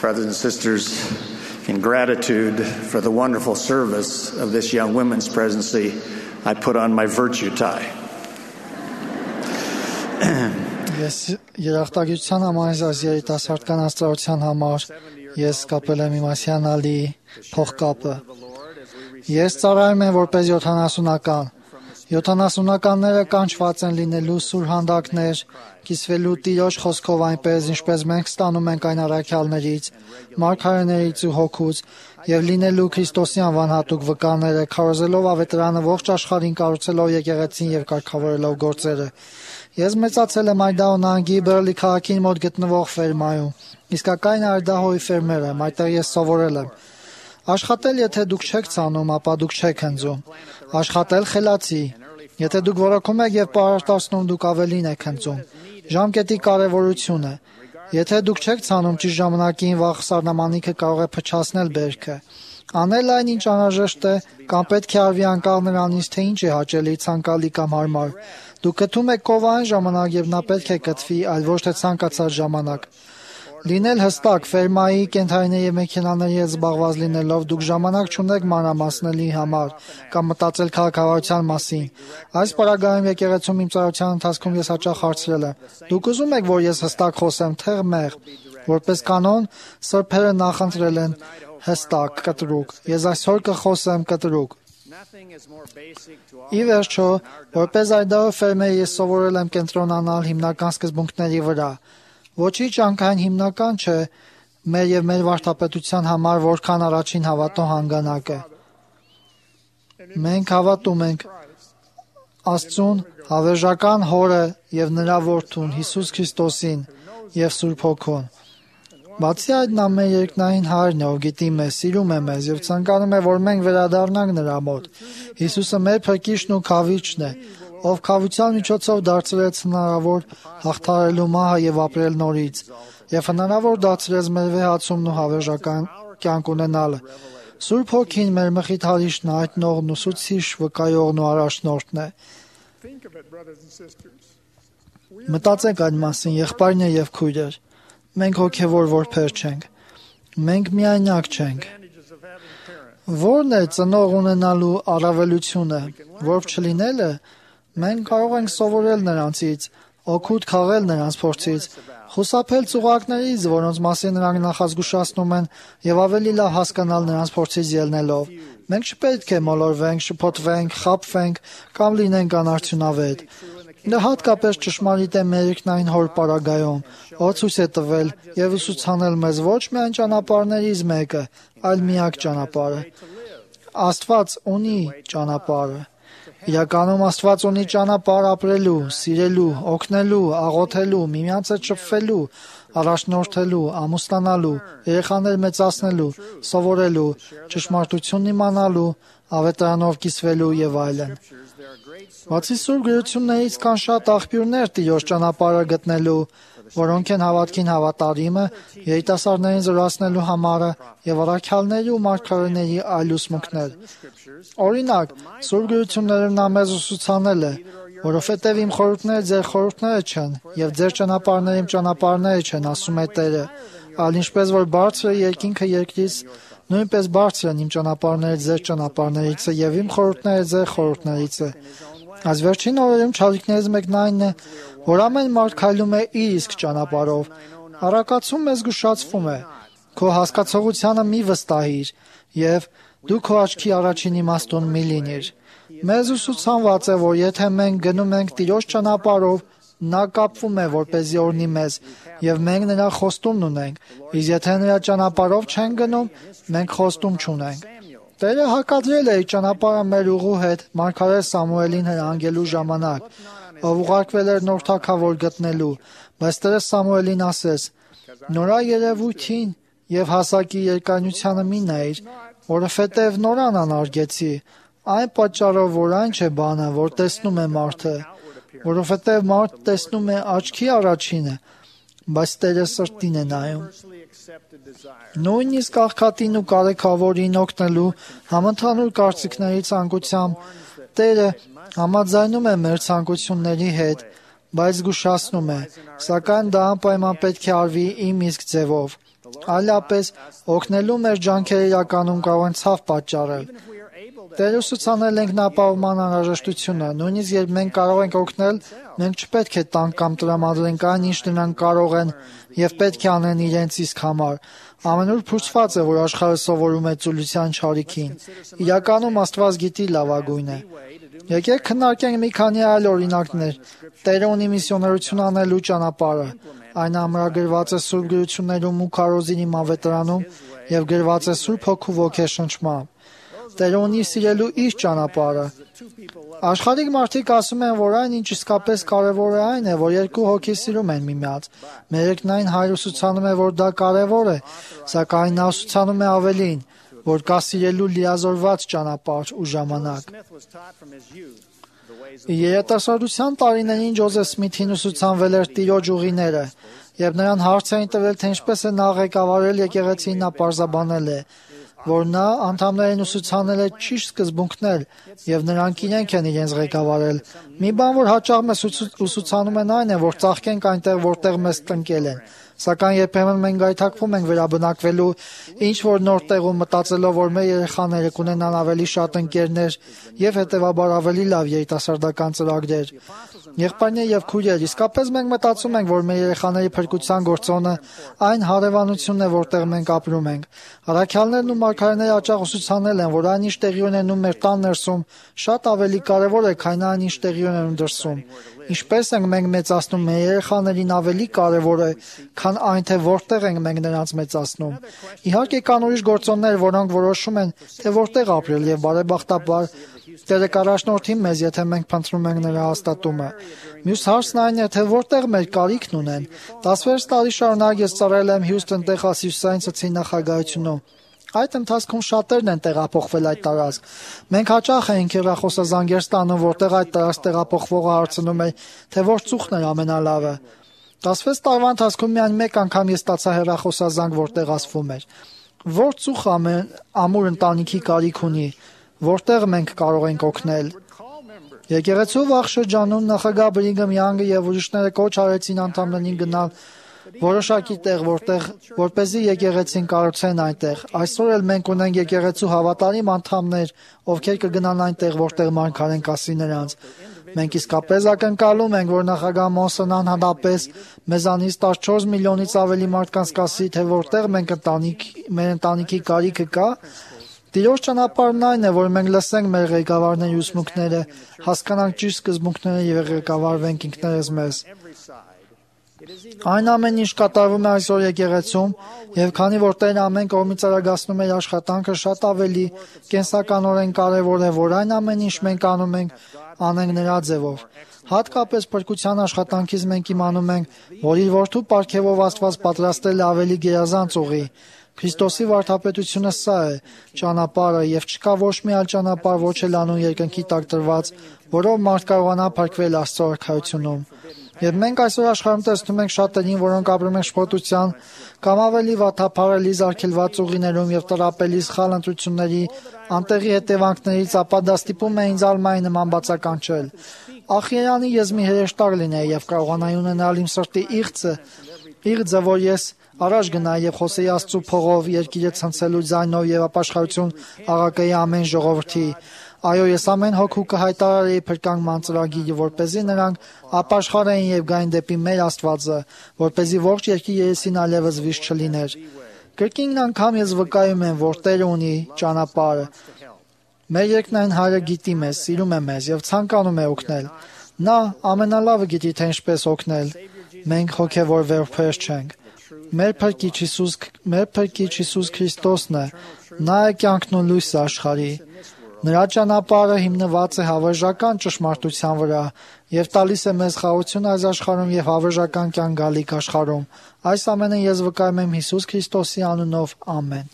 Brothers and sisters, in gratitude for the wonderful service of this young women's presidency, I put on my virtue tie. Ես երախտագիտության համայնքից երիտասարդ կանանցության համար ես կապել եմ իմ ասիանալի փողկապը։ Ես ծառայում եմ որպես 70-ական։ 70-ականները կանչված են լինելու սուրհանդակներ, կիսվելու Տիրոջ խոսքով այնպես, ինչպես մենք ստանում ենք այն առաքյալներից, մարգարեներից ու հոգուց, եւ լինելու Քրիստոսի անվան հատուկ վկաները, քարոզելով ավետարանը ողջ աշխարհին, կառուցելով եկեղեցին եւ կարգավորելով գործերը։ Ես մեծացել եմ Այդահո նահանգի Բերլի քաղաքին մոտ գտնվող ֆերմայում։ Իսկական Այդահոյի ֆերմեր եմ, այդտեղ ես սովորել եմ։ Աշխատել, եթե դուք չեք ցանում, ապա դուք չեք հնձում։ Աշխատել խելացի։ Եթե դուք որոքում եք եւ պարարտացնում, դուք ավելին եք հնձում։ Ժամկետի կարևորությունը։ Եթե դուք չեք ցանում ճիշտ ժամանակին, վաղ սառնամանիքը կարող է փչացնել բերքը։ Անել այն, ինչ անհրաժեշտ է, կամ պետք է արվի անկախ նրանից, թե ինչ է հաճելի, ցանկալի կամ հարմար։ Դուք գտնում եք կովային ժամանակ եւ նա պետք է գտվի, այլ ոչ թե ցանկացած ժամանակ։ Լինել հստակ, ֆերմայի, կենթարիների եւ մեքենաների հետ զբաղված լինելով, դուք ժամանակ չունեք մանրամասնելի համար կամ մտածել քաղաքավարության մասին։ Այս պարագայում եկեղեցում իմ ծառայության ընթացքում ես հաճախ հարցրել եմ. դուք ուզում եք, որ ես հստակ խոսեմ, թե մեղ։ Որպես կանոն, սրբերը նախընտրել են հստակ, կտրուկ։ Ես այսօր կխոսեմ կտրուկ։ Ի վերջո, որպես Այդահո ֆերմեր ես սովորել եմ կենտրոնանալ հիմնական սկզբունքների վրա։ Ոչինչ անկայն հիմնական չէ մեր եւ մեր վարդապետության համար, որքան առաջին հավատո հանգանակը։ Մենք հավատում ենք Աստծուն, հավերժական Հորը եւ նրա Որդուն Հիսուս Քրիստոսին եւ Սուրբ Հոգուն։ Բացի այդ, նա մեր երկնային Հայրն է, ով գիտի մեզ, սիրում է մեզ եւ ցանկանում է, որ մենք վերադառնանք նրա մոտ։ Հիսուսը մեր փրկիչն ու քավիչն է, ով քավության միջոցով դարձրեց հնարավոր հաղթահարելու մահը եւ ապրել նորից, եւ հնարավոր դարձրեց մեր վեհացումն ու հավերժական կյանք ունենալը։ Սուրբ Հոգին մեր մխիթարիչն, հայտնողն ու ուսուցիչ, վկայողն ու առաջնորդն է։ Մտածեք այդ մասին, եղբայրներ եւ քույրեր։ Մենք հոգևոր որբեր չենք։ Մենք միայնակ չենք։ Որն է ծնող ունենալու առավելությունը, որով չլինելը, մենք կարող ենք սովորել նրանցից, օգուտ քաղել նրանց փորձից, խուսափել ծուղակներից, որոնց մասին նրանք նախազգուշացնում են, եւ ավելի լավ հասկանալ նրանց փորձից ելնելով։ Մենք չպետք է մոլորվենք, շփոթվենք, խաբվենք կամ լինենք անարդյունավետ։ Դա հատկապես ճշմարիտ է մեր երկնային Հոր պարագայում, ով ցույց է տվել եւ ուսուցանել մեզ ոչ միայն ճանապարհներից մեկը, այլ միակ ճանապարհը։ Աստված ունի ճանապարհը։ Իրականում Աստված ունի ճանապարհ ապրելու, սիրելու, օգնելու, աղոթելու, միմյանց հետ շփվելու, առաջնորդելու, ամուսնանալու, երեխաներ մեծացնելու, սովորելու, ճշմարտությունն իմանալու, ավետարանով կիսվելու եւ այլն։ Բացի Սուրբ գրություններից կան շատ աղբյուրներ Տիրոջ ճանապարհը գտնելու, որոնք են հավատքին հավատարիմը, երիտասարդներին զորացնելու համարը եւ առաքյալների ու մարգարեների այլ ուսմունքներ։ Օրինակ, Սուրբ գրություններում նա մեզ ուսուցանել է, որովհետեւ իմ խորհուրդները ձեր խորհուրդները չեն, եւ ձեր ճանապարհները իմ ճանապարհները չեն, ասում է Տերը, այլ ինչպես որ բարձր է երկինքը երկրից, նույնպես բարձր են իմ ճանապարհները ձեր ճանապարհներից եւ իմ խորհուրդները ձեր խորհուրդներից է։ Այս վերջին օրերում չարիքներից մեկն այն է, որ ամեն մարդ քայլում է իր իսկ ճանապարհով։ Առակացում մեզ զգուշացվում է. քո հասկացողությանը մի վստահիր եւ դու քո աչքի առաջին իմաստուն մի լինիր։ Մեզ ուսուցանված է, որ եթե մենք գնում ենք Տիրոջ ճանապարհով, նա կապվում է, որպեսզի օրհնի մեզ, եւ մենք նրա խոստումն ունենք, իսկ եթե նրա ճանապարհով չենք գնում, մենք խոստում չունենք։ Տերը հակադրել է իր ճանապարհը մեր ուղու հետ մարգարե Սամուելին հրանգելու ժամանակ, ով ուղարկվել էր նոր թագավոր գտնելու, բայց Տերը Սամուելին ասեց. նորա երևույթին եւ հասակի երկայնությանը մի նայիր, որովհետեւ նորան անարգեցի, այն պատճառով, որ այն չէ բանը, որ տեսնում է մարդը, որովհետեւ մարդ տեսնում է աչքի առաջինը, բայց Տերը սրտին է նայում։ Նույնիսկ աղքատին ու կարեքավորին օգնելու համընդհանուր կարծիքների ցանկությամբ Տերը համաձայնում է մեր ցանկությունների հետ, բայց զգուշացնում է, սակայն դա անպայման պետք է արվի իմ իսկ ձևով։ Այլապես օգնելու մեր ջանքերը իրականում կարող են ցավ պատճառել։ Տեր ուսուցանել ենք նա ապահովման անհրաժեշտությունը, նույնիսկ երբ մենք կարող ենք օգնել, մենք չպետք է տանք կամ տրամադրենք այն, ինչ նրանք կարող են եւ պետք է անեն իրենց իսկ համար։ Ամենուր փորձված է, որ աշխարհը սովորում է ծուլության չարիքին։ Իրականում Աստված գիտի լավագույն է։ Եկեք քննարկենք մի քանի այլ օրինակներ։ Տերը ունի միսիոներություն անելու ճանապարհը։ Այն ամրագրված է Սուրբ գրություններում ու քարոզինի մավետարանում եւ գրված է Սուրբ Հոգու ոգեշնչմամբ։ Տերը ունի սիրելու իր ճանապարհը։ Աշխարհիկ մարդիկ ասում են, որ այն, ինչ իսկապես կարևոր է, այն է, որ երկու հոգի սիրում են միմյանց։ Մերեկնային Հայր ուսուցանում է, որ դա կարևոր է, սակայն նա ուսուցանում է ավելին, որ կա սիրելու լիազորված ճանապարհ ու ժամանակ։ Երիտասարդության տարիներին Ջոզեֆ Սմիթին ուսուցանվել էր Տիրոջ ուղիները, երբ նրան հարց էին տվել, թե ինչպես է նա ղեկավարել եկեղեցին, նա պարզաբանել է, որ նա անդամներին ուսուցանել է ճիշտ սկզբունքներ եւ նրանք իրենք են իրենց ղեկավարել։ Մի բան, որ հաճախ մեզ ուսուցանում են, այն է, որ ծաղկենք այնտեղ, որտեղ մեզ տնկել են։ Սակայն երբեմն մենք գայթակվում ենք վերաբնակվելու ինչ որ նոր տեղում, մտածելով, որ մեր երեխաները կունենան ավելի շատ ընկերներ եւ հետեւաբար ավելի լավ երիտասարդական ծրագրեր։ Եղբայրներ եւ քույրեր, իսկապես մենք մտածում ենք, որ մեր երեխաների փրկության գործոնը այն հարևանությունն է, որտեղ մենք ապրում ենք։ Առաքյալներն ու մարգարեները հաճախ ուսուցանել են, որ այն ինչ տեղի ունենում մեր տան ներսում շատ ավելի կարևոր է, քան այն ինչ տեղի ունենում դրսում։ Ինչպես ենք մենք մեծացնում մեր երեխաներին ավելի կարևոր է, քան այն, թե որտեղ ենք մենք նրանց մեծացնում։ Իհարկե կան ուրիշ գործոններ, որոնք որոշում են, թե որտեղ ապրել եւ բարեբախտաբար Տերը կառաջնորդի մեզ, եթե մենք փնտրում ենք նրա հաստատումը։ Մյուս հարցն այն է, թե որտեղ մեր կարիքն ունեն։ 16 տարի շարունակ ես ծառայել եմ Հյուսթոն, Տեխասի հյուսիսային ծոցի նախագահությունում։ Այդ ընթացքում շատերն են տեղափոխվել այդ տարածք։ Մենք հաճախ էինք հեռախոսազանգեր ստանում, որտեղ այդ տարածք տեղափոխվողը հարցնում է, թե որ ծուխն էր ամենալավը։ 16 տարվա ընթացքում միայն մեկ անգամ ես ստացա հեռախոսազանգ, որտեղ ասվում էր. որ ծուխը ամուր ընտանիքի կարիք ունի, որտեղ մենք կարող ենք օգնել։ Եկեղեցու վաղ շրջանում նախագահ Բրիգհամ Յանգը եւ ուրիշները կոչ արեցին անդամներին գնալ որոշակի տեղ, որպեսզի եկեղեցին կառուցեն այնտեղ։ Այսօր էլ մենք ունենք եկեղեցու հավատարիմ անդամներ, ովքեր կգնան այնտեղ, որտեղ մարգարեն կասի նրանց։ Մենք իսկապես ակնկալում ենք, որ նախագահ Մոնսոնան հանդեպ մեզանից 14 միլիոնից ավելի մարդկանց կասի, թե որտեղ մեր ընտանիքի կարիքը կա։ Տիրոջ ճանապարհն այն է, որ մենք լսենք մեր ղեկավարների ուսմունքները, հասկանանք ճիշտ սկզբունքները եւ ղեկավարվենք ինքներս մեզ։ Այն ամեն ինչ կատարվում է այսօր եկեղեցում, եւ քանի որ Տերը ամեն կողմից արագացնում է աշխատանքը, շատ ավելի կենսականորեն կարեւոր է, որ այն ամեն ինչ մենք անում ենք, անենք նրա ձևով։ Հատկապես փրկության աշխատանքից մենք իմանում ենք, որ իր որդու պարգևով Աստված պատրաստել է ավելի գերազանց ուղի։ Քրիստոսի վարդապետությունը սա է, ճանապարհը, եւ չկա ոչ մի այլ ճանապարհ, ոչ էլ անուն երկնքի տակ տրված, որով մարդ կարողանա փրկվել Աստծո արքայությունում։ Եվ մենք այսօր աշխարհում տեսնում ենք շատերին, որոնք ապրում են շփոթության կամ ավելի վատափարելի զարգելված ուղիներում եւ տրապելի սխալ ընտրությունների անտեղի հետևանքներից, ապա դա ստիպում է ինձ ալմայի նման բացականչել։ Ախ Երանի ես մի հրեշտակ լինեի եւ կարողանայի ունենալ իմ սրտի իղձը, որ ես առաջ գնայի եւ խոսեի Աստծո փողով, երկիրը ցնցելու ձայնով եւ ապաշխարություն աղակայի ամեն ժողովրդի։ Այո, ես ամեն հոգու կհայտարարեի փրկական ծրագիրը, որպեսզի նրանք ապաշխարեին եւ գային դեպի մեր Աստվածը, որպեսզի ողջ երկրի երեսին այլևս վիշ չլիներ։ Կրկին անգամ ես վկայում եմ, որ Տերը ունի ճանապարհը։ Մեր երկնային Հայրը գիտի մեզ, սիրում է մեզ եւ ցանկանում է օգնել։ Նա ամենալավը գիտի, թե ինչպես օգնել։ Մենք հոգեվոր վերբեր չենք։ Մեր Փրկիչ Հիսուս Քրիստոսն է, նա է կյանքն ու լույսը աշխարհի։ Նրա ճանապարհը հիմնված է հավերժական ճշմարտության վրա եւ տալիս է մեզ խաղաղություն այս աշխարհում եւ հավերժական կյանք գալիք աշխարհում։ Այս ամենը ես վկայում եմ Հիսուս Քրիստոսի անունով, ամեն։